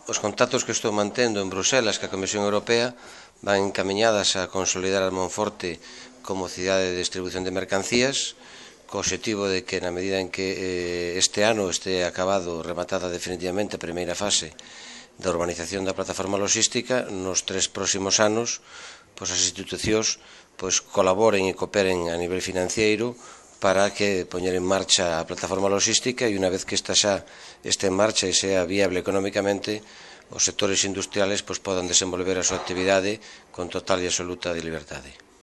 Os contactos que estou mantendo en Bruselas ca Comisión Europea van encamiñadas a consolidar a Monforte como cidade de distribución de mercancías, co obxectivo de que na medida en que este ano este acabado, rematada definitivamente a primeira fase da urbanización da plataforma logística, nos 3 próximos anos as institucións colaboren e cooperen a nivel financiero para que poñer en marcha a plataforma logística e unha vez que esta xa este en marcha e sea viable económicamente, os sectores industriales podan desenvolver a súa actividade con total e absoluta liberdade.